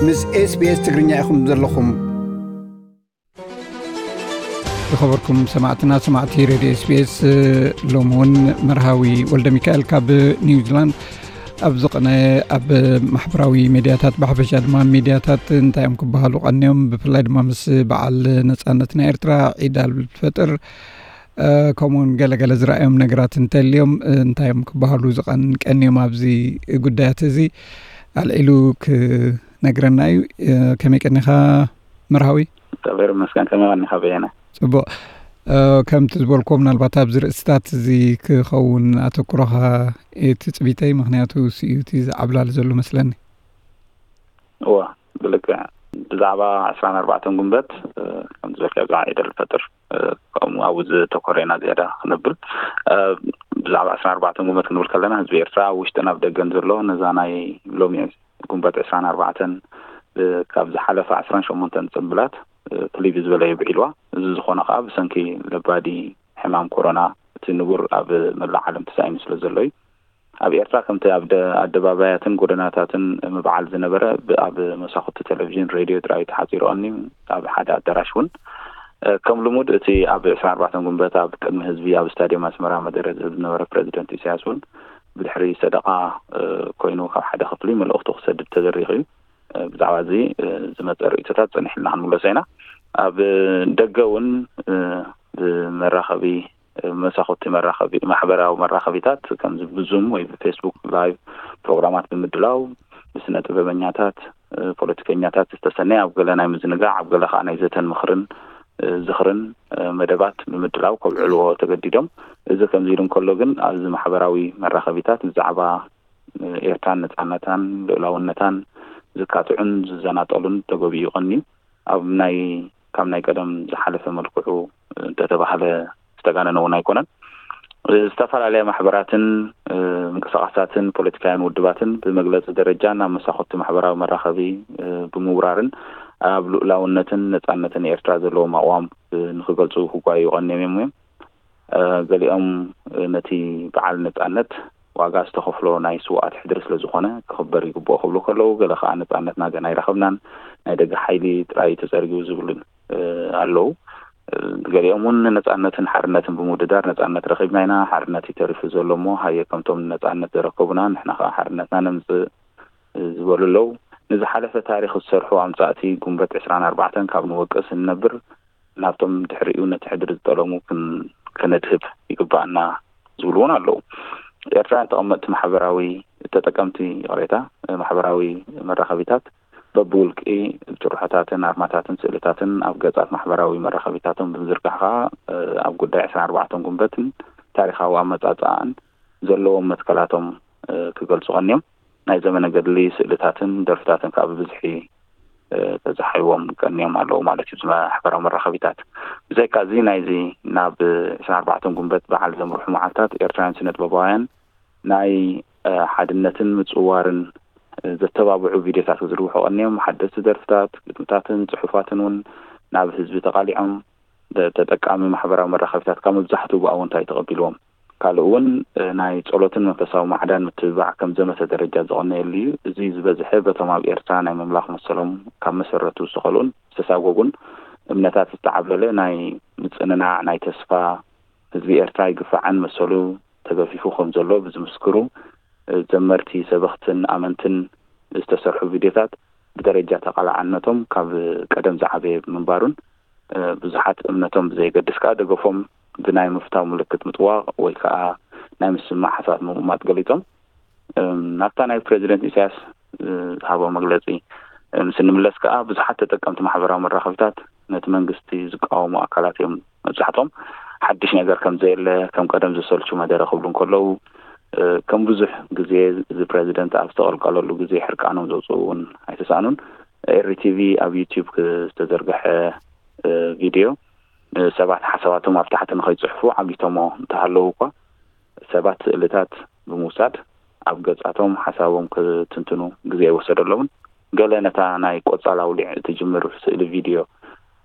ምስ SBS ትግርኛ ኢኹም ዘለኹም። ዝኸበርኩም ሰማዕትና፣ ሰማዕቲ ሬድዮ SBS፣ ሎሚ እውን መርሃዊ ወልደ ሚካኤል ካብ ኒውዚላንድ ኣብ ዝቐነ ኣብ ማሕበራዊ ሚድያታት፣ ብሓፈሻ ድማ ሚድያታት እንታይ እዮም ክበሃሉ ቀንዮም፣ ብፍላይ ድማ ምስ በዓል ነጻነት ናይ ኤርትራ፣ ዒድ ኣልፈጥር፣ እ፣ ከምኡውን ገለገለ ዝረኣዮም ነገራት እንተልዮም፣ እ፣ እንታይ እዮም ክበሃሉ ዝቐን-፣ ቀንዮም ኣብዚ ጉዳያት እዚ ኣልዒሉ ክነግረና እዩ። እ፣ ከመይ ቀኒኻ መርሃዊ? እግዚኣብሔር ይመስገን። ከመይ ቀኒኻ በየነ? ጽቡቕ። እ፣ ከምቲ ዝበልኩዎ፣ ምናልባት ኣብዚ ርእስታት እዚ ክኸውን ኣተኩሮኻ እዩ ትጽቢተይ፣ ምኽንያቱ እሱ እዩ እቲ ዝዓብላሊ ዘሎ መስለኒ። እወ፣ ብልክዕ ብዛዕባ ዕስራን ኣርባዕተን ጉንበት፣ እ፣ ከም ዝበልካዮ ብዛዕባ ዒድ ኣልፈጥር፣ እ፣ ከምኡ ኣብኡ ዘተኮረ ኢና ዝያዳ ክነብል። እ፣ ብዛዕባ ዕስራን ኣርባዕተን ጉንበት ክንብል ከለና፣ ህዝቢ ኤርትራ ኣብ ውሽጥን ኣብ ደገን ዘሎ ነዛ ናይ ሎሚ ጉንበት ዕስራን ኣርባዕተን፣ እ፣ ካብ ዝሓለፈ ዕስራን ሸሞንተን ጽንብላት፣ እ፣ ፍልይ ብዝበለ የብዒልዋ። እዚ ዝኾነ ከኣ ብሰንኪ ለባዲ ሕማም ኮሮና፣ እቲ ንቡር ኣብ መላእ ዓለም ተሳኢኑ ስለ ዘሎ እዩ። ኣብ ኤርትራ ከምቲ ኣብ ደ-፣ ኣደባባያትን ጎደናታትን ምብዓል ዝነበረ፣ ብ-፣ ኣብ መሳኹቲ ቴሌቪዥን፣ ሬድዮ ጥራይ ተሓጺሩ ቀንዩ፣ ኣብ ሓደ ኣዳራሽ እውን። እ፣ ከም ልሙድ እቲ ኣብ ዕስራን ኣርባዕተን ጉንበት ኣብ ቅድሚ ህዝቢ ኣብ ስታድየም ኣስመራ መደረ ዝህብ ዝነበረ ፕረዚደንት ኢሳያስ እውን ብድሕሪ ሰደቓ፣ እ፣ ኮይኑ ካብ ሓደ ክፍሊ መልእኽቱ ክሰድድ ተደሪኹ እዩ። እ፣ ብዛዕባ እዚ፣ እ፣ ዝመጸ ርእይቶታት ጸኒሕልና ክንምለሶ ኢና። ኣብ ደገ እውን፣ እ፣ ብመራኸቢ፣ እ፣ መሳኹቲ መራኸቢ፣ ማሕበራዊ መራኸቢታት ከምዚ ብዙም ወይ ብፌስቡክ ላይቭ ፕሮግራማት ብምድላው ብስነ ጥበበኛታት፣ እ፣ ፖለቲከኛታት ዝተሰነየ ኣብ ገለ ናይ ምዝንጋዕ፣ ኣብ ገለ ከኣ ናይ ዘተን ምኽርን፣ እ፣ ዝኽርን፣ እ፣ መደባት ብምድላው ከብዕልዎ ተገዲዶም። እዚ ከምዚ ኢሉ እንከሎ ግን ኣብዚ ማሕበራዊ መራኸቢታት ብዛዕባ፣ እ፣ ኤርትራን ነጻነታን ልኡላውነታን ዝካትዑን ዝዘናጠሉን ተገቢኡ ቀንዩ ኣብ ናይ፣ ካብ ናይ ቀደም ዝሓለፈ መልክዑ እንተተባህለ ዝተጋነነ እውን ኣይኮነን። ዝተፈላለያ ማሕበራትን፣ እ፣ ምንቅስቓሳትን ፖለቲካውያን ውድባትን ብመግለጺ ደረጃ ናብ መሳኹቲ ማሕበራዊ መራኸቢ፣ እ፣ ብምውራርን ኣብ ልኡላውነትን ነጻነትን ኤርትራ ዘለዎም ኣቕዋም፣ እ፣ ንኽገልጹ ክጓየዩ ቀንዮም እዮም። እ፣ ገሊኦም፣ እ፣ ነቲ በዓል ነጻነት ዋጋ ዝተኸፍሎ ናይ ስውኣት ሕድሪ ስለ ዝኾነ ክኽበር ይግብኦ ክብሉ ከለዉ፣ ገለ ከኣ ነጻነትና ገና ኣይረኸብናን፣ ናይ ደገ ሓይሊ ጥራይ እዩ ተጸርጊቡ ዝብሉ፣ እ፣ ኣለዉ። እ፣ ገሊኦም እውን ንነጻነትን ሓርነትን ብምውድዳር ነጻነት ረኺብና ኢና፣ ሓርነት እዩ ተሪፉ ዘሎ እሞ ሃየ ከምቶም ንነጻነት ዘረከቡና ንሕና ከኣ ሓርነትና ነምጽእ፣ እ፣ ዝበሉ ኣለዉ። ንዝሓለፈ ታሪኽ ዝሰርሑ ኣምጻእቲ ጉንበት ዕስራን ኣርባዕተን ካብ ንወቅስ እንነብር ናብቶም ድሕሪኡ ነቲ ሕድሪ ዝጠለሙ ክን-፣ ክነድህብ ይግባኣና ዝብሉ እውን ኣለዉ። ኤርትራውያን ተቐመጥቲ ማሕበራዊ ተጠቀምቲ፣ ይቕሬታ፣ ማሕበራዊ መራኸቢታት በብውልቂ ጭርሖታትን ኣርማታትን ስእልታትን ኣብ ገጻት ማሕበራዊ መራኸቢታቶም ብምዝርጋሕ ከኣ፣ እ፣ ኣብ ጉዳይ ዕስራን ኣርባዕተን ጉንበትን ታሪኻዊ ኣመጻጽኣን ዘለዎም መትከላቶም፣ እ፣ ክገልጹ ቀንዮም። ናይ ዘመነ ገድሊ ስእልታትን ደርፍታትን ከኣ ብብዝሒ፣ እ፣ ተዛሒዎም ቀንዮም ኣለዉ ማለት እዩ፣ እዚ ማሕበራዊ መራኸቢታት። ብዘይካ እዚ፣ ናይዚ ናብ ዕስራን ኣርባዕተን ጉንበት በዓል ዘምርሑ መዓልታት ኤርትራውያን ስነ ጥበባውያን ናይ፣ እ፣ ሓድነትን ምጽውዋርን፣ እ፣ ዘተባብዑ ቪድዮታት ክዝርግሑ ቀንዮም። ሓደስቲ ደርፍታት፣ ግጥምታትን ጽሑፋትን እውን ናብ ህዝቢ ተቓሊዖም። ተ-፣ ተጠቃሚ ማሕበራዊ መራኸቢታት ካብ መብዛሕትኡ ብኣወንታ እዩ ተቐቢልዎም። ካልእ እውን፣ እ፣ ናይ ጸሎትን መንፈሳዊ ማዕዳን ምትብባዕ ከም ዘመተ ደረጃ ዝቐነየሉ እዩ። እዚ ዝበዝሐ በቶም ኣብ ኤርትራ ናይ ምምላኽ መሰሎም ካብ መሰረቱ ዝተኸልኡን ዝተሳጎጉን እምነታት ዝተዓብለለ ናይ ምጽንናዕ፣ ናይ ተስፋ፣ ህዝቢ ኤርትራ ኣይግፋዕን፣ መሰሉ ተገፊፉ ከም ዘሎ ብዝምስክሩ፣ እ፣ ዘመርቲ፣ ሰበኽትን ኣመንትን ዝተሰርሑ ቪድዮታት ብደረጃ ተቓላዕነቶም ካብ ቀደም ዝዓበየ ብምንባሩን፣ እ፣ ብዙሓት እምነቶም ብዘየገድስ ከኣ ደገፎም ብናይ ምፍታው ምልክት ምጥዋቕ ወይ ከኣ ናይ ምስማዕ ሓሳባት ምቕማጥ ገሊጾም። እም፣ ናብታ ናይ ፕረዚደንት ኢሳያስ፣ እ፣ ዝሃቦ መግለጺ፣ እ፣ ምስ እንምለስ ከኣ ብዙሓት ተጠቀምቲ ማሕበራዊ መራኸቢታት ነቲ መንግስቲ ዝቃወሙ ኣካላት እዮም። መብዛሕትኦም ሓድሽ ነገር ከም ዘየለ፣ ከም ቀደም ዘሰልቹ መደረ ክብሉ እንከለዉ፣ እ፣ ከም ብዙሕ ግዜ እዚ ፕረዚደንት ኣብ ዝተቐልቀለሉ ግዜ ሕርቃኖም ዘውፅኡ እውን ኣይተሳእኑን። ኤሪ ቲቪ ኣብ ዩቲዩብ ክ-፣ ዝተዘርግሐ፣ እ፣ ቪድዮ፣ እ፣ ሰባት ሓሳባቶም ኣብ ታሕቲ ንኸይፅሕፉ ዓጊቶሞ እንተሃለዉ እኳ፣ ሰባት ስእልታት ብምውሳድ ኣብ ገጻቶም ሓሳቦም ክትንትኑ ግዜ ኣይወሰደሎምን። ገለ ነታ ናይ ቆጻል ኣውሊዕ እትጅምር ስእሊ ቪድዮ፣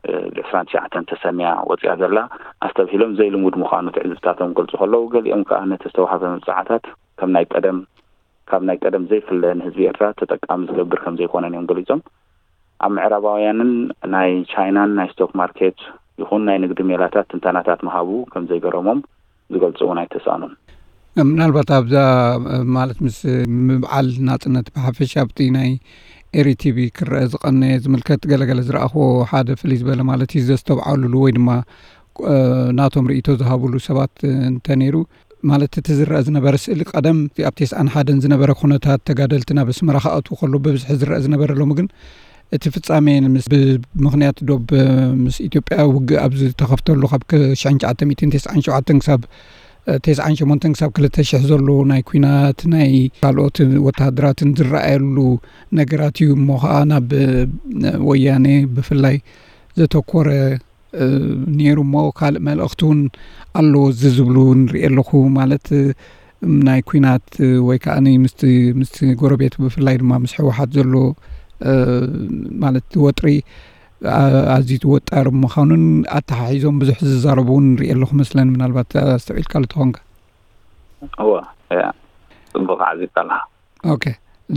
እ፣ ብ ዕስራን ትሽዓተን ተሰንያ ወጺኣ ዘላ ኣስተብሂሎም ዘይልሙድ ምዃኑ ትዕዝብታቶም ክገልጹ ከለዉ፣ ገሊኦም ከኣ ነቲ ዝተዋህበ መብጽዓታት ከም ናይ ቀደም፣ ካብ ናይ ቀደም ዘይፍለ ንህዝቢ ኤርትራ ተጠቃሚ ዝገብር ከም ዘይኮነን እዮም ገሊጾም። ኣብ ምዕራባውያንን ናይ ቻይናን ናይ ስቶክ ማርኬት ይኹን ናይ ንግዲ ሜላታት ትንተናታት ምሃቡ ከም ዘይገረሞም ዝገልጹ እውን ኣይተሳእኑን። ምናልባት ኣብዛ ማለት ምስ ምብዓል ናጽነት ብሓፈሻ ኣብቲ ናይ ኤሪ ቲቪ ክረአ ዝቐነየ ዝምልከት ገለገለ ዝረኣኽዎ ሓደ ፍልይ ዝበለ ማለት እዩ ዘስተብዓሉሉ ወይ ድማ ናቶም ርእይቶ ዝሃብሉ ሰባት እንተነይሩ ማለት እቲ ዝረአ ዝነበረ ስእሊ ቀደም ኣብ ተስዓን ሓደን ዝነበረ ኩነታት ተጋደልቲ ናብ ኣስመራ ክኣትዉ ከሎ ብብዝሒ ዝረአ ዝነበረ ሎሚ ግን እቲ ፍጻሜ ምስ ብምኽንያት ዶብ ምስ ኢትዮጵያ ውግእ ኣብ ዝተኸፍተሉ ካብ ሽሕን ትሽዓተ ሚእትን ተስዓን ሸውዓተን ክሳብ ተስዓን ሸሞንተን ክሳብ ክልተ ሽሕ ዘሎ ናይ ኲናት ናይ ካልኦት ወተሃደራትን ዝረኣየሉ ነገራት እዩ እሞ ኸዓ ናብ ወያኔ ብፍላይ ዘተኮረ ነይሩ እሞ ካልእ መልእኽቲ እውን ኣለዎ እዚ ዝብሉ ንርኢ ኣለኹ ማለት ናይ ኲናት ወይ ከዓ ምስቲ ምስቲ ጎረቤት ብፍላይ ድማ ምስ ህወሓት ዘሎ ማለት ወጥሪ ኣዝዩ ወጣር ምዃኑን ኣተሓሒዞም ብዙሕ ዝዛረቡ እውን ንርኢ ኣለኹ መስለን ምናልባት ኣስተውዒልካሉ ተኾንካ እወ እያ ፅቡቅ ዓዚብካ ኣለካ ኦኬ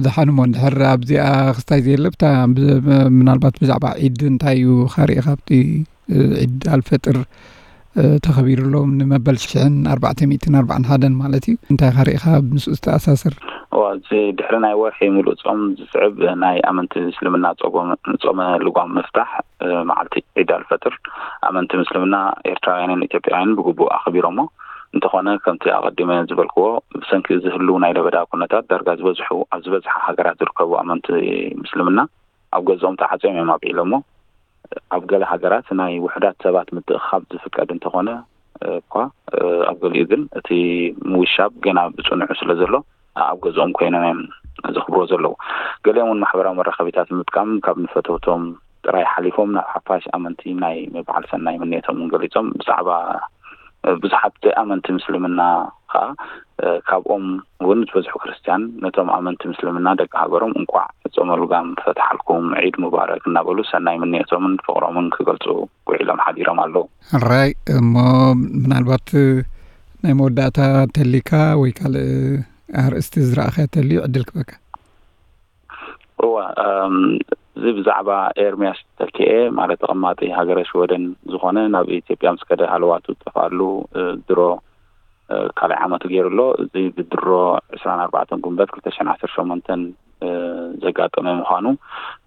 ደሓን እሞ እንድሕር ኣብዚኣ ክስታይ ዘየለ ብታ ምናልባት ብዛዕባ ዒድ እንታይ እዩ ካሪእኻ ኣብቲ ዒድ ኣልፈጥር ተኸቢሩ ኣሎ ንመበል ሽሕን ኣርባዕተ ሚእትን ኣርባዕን ሓደን ማለት እዩ እንታይ ካሪእኻ ምስኡ ዝተኣሳሰር እዋ እዚ ድሕሪ ናይ ወርሒ ሙሉእ ጾም ዝስዕብ ናይ ኣመንቲ እስልምና ጾመ ልጓም ምፍታሕ መዓልቲ ዒድ ኣልፈጥር ኣመንቲ ምስልምና ኤርትራውያንን ኢትዮጵያውያንን ብግቡእ ኣኽቢሮሞ እንተኾነ ከምቲ ኣቐዲመ ዝበልክዎ ብሰንኪ ዝህሉ ናይ ለበዳ ኩነታት ዳርጋ ዝበዝሑ ኣብ ዝበዝሓ ሃገራት ዝርከቡ ኣመንቲ ምስልምና ኣብ ገዝኦም ተዓፅዮም እዮም ኣብዒሎሞ ኣብ ገለ ሃገራት ናይ ውሑዳት ሰባት ምትእኽኻብ ዝፍቀድ እንተኾነ እኳ ኣብ ገሊኡ ግን እቲ ምውሻብ ገና ብፅኑዑ ስለ ዘሎ ኣብ ገዝኦም ኮይኖም እዮም ዘኽብሮ ዘለዉ። ገሊኦም እውን ማሕበራዊ መራኸቢታት ንምጥቃም ካብ ንፈተውቶም ጥራይ ሓሊፎም ናብ ሓፋሽ ኣመንቲ ናይ ምብዓል ሰናይ ምንየቶም እውን ገሊፆም። ብዛዕባ ብዙሓት ዘይኣመንቲ ምስልምና ከዓ ካብኦም እውን ዝበዝሑ ክርስትያን ነቶም ኣመንቲ ምስልምና ደቂ ሃገሮም እንቋዕ ጾመ ልጓም ፈትሓልኩም ዒድ ሙባረክ እናበሉ ሰናይ ምንየቶምን ፍቕሮምን ክገልፁ ውዒሎም ሓዲሮም ኣለዉ። ሕራይ እሞ ምናልባት ናይ መወዳእታ ተሊካ ወይ ካልእ ኣርእስቲ ዝረኣኸ ተልዩ ዕድል ክበካ። እወ እዚ ብዛዕባ ኤርሚያስ ተኪኤ ማለት ተቐማጢ ሃገረ ሽወደን ዝኾነ ናብ ኢትዮጵያ ምስ ከደ ሃለዋቱ ዝጠፍኣሉ ድሮ ካልኣይ ዓመቱ ገይሩ ኣሎ። እዚ ብድሮ ዕስራን ኣርባዕተን ጉንበት ክልተ ሽሕን ዓሰርተ ሸሞንተን ዘጋጠመ ምዃኑ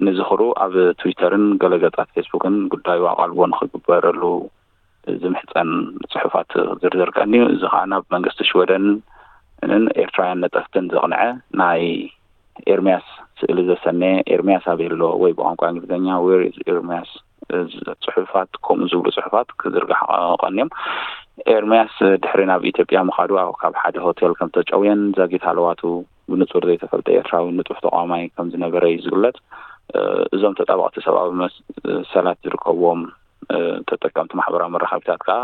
ንዝኽሩ ኣብ ትዊተርን ገለ ገጻት ፌስቡክን ጉዳዩ ኣቓልቦ ንኽግበረሉ ዝምሕጸን ጽሑፋት ዝርዝር ቀንዩ። እዚ ኸኣ ናብ መንግስቲ ሽወደንን ኤርትራውያን ነጠፍትን ዘቕንዐ ናይ ኤርምያስ ስእሊ ዘሰነየ ኤርምያስ ኣበይ ኣሎ ወይ ብቋንቋ እንግሊዝኛ Where is Ermias ጽሑፋት ከምኡ ዝብሉ ጽሑፋት ክዝርጋሕ ቀንዮም። ኤርምያስ ድሕሪ ናብ ኢትዮጵያ ምኻዱ ኣብ ካብ ሓደ ሆቴል ከም ተጨውየን ዛጊት ሃለዋቱ ብንጹር ዘይተፈልጠ ኤርትራዊ ንጡፍ ተቃዋማይ ከም ዝነበረ እዩ ዝግለጽ። እዞም ተጣበቕቲ ሰብኣዊ መሰላት ዝርከብዎም ተጠቀምቲ ማሕበራዊ መራኸቢታት ከኣ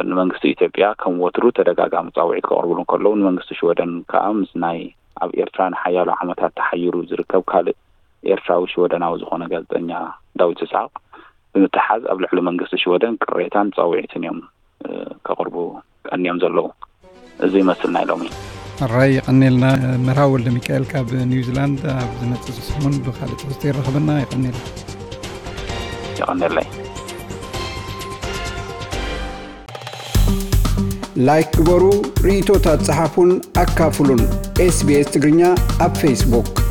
ንመንግስቲ ኢትዮጵያ ከም ወትሩ ተደጋጋሚ ጻውዒት ከቕርብሉ እንከለዉ ንመንግስቲ ሽወደን ከኣ ምስ ናይ ኣብ ኤርትራ ንሓያሎ ዓመታት ተሓይሩ ዝርከብ ካልእ ኤርትራዊ ሽወደናዊ ዝኾነ ጋዜጠኛ ዳዊት ይስሓቕ ብምትሓዝ ኣብ ልዕሊ መንግስቲ ሽወደን ቅሬታን ጻውዒትን እዮም ከቕርቡ ቀንዮም ዘለዉ። እዚ ይመስል ናይ ሎሚ። ሕራይ የቐኔልና። መርሃዊ ወልደሚካኤል ካብ ኒውዚላንድ። ኣብ ዝመጽእ ሰሙን ብኻልእ ትሕዝቶ ይራኸበና። የቐኔልና። የቐኔለይ። ላይክ ግበሩ፣ ርእይቶታት ጸሓፉን ኣካፍሉን። ኤስቢኤስ ትግርኛ ኣብ ፌስቡክ።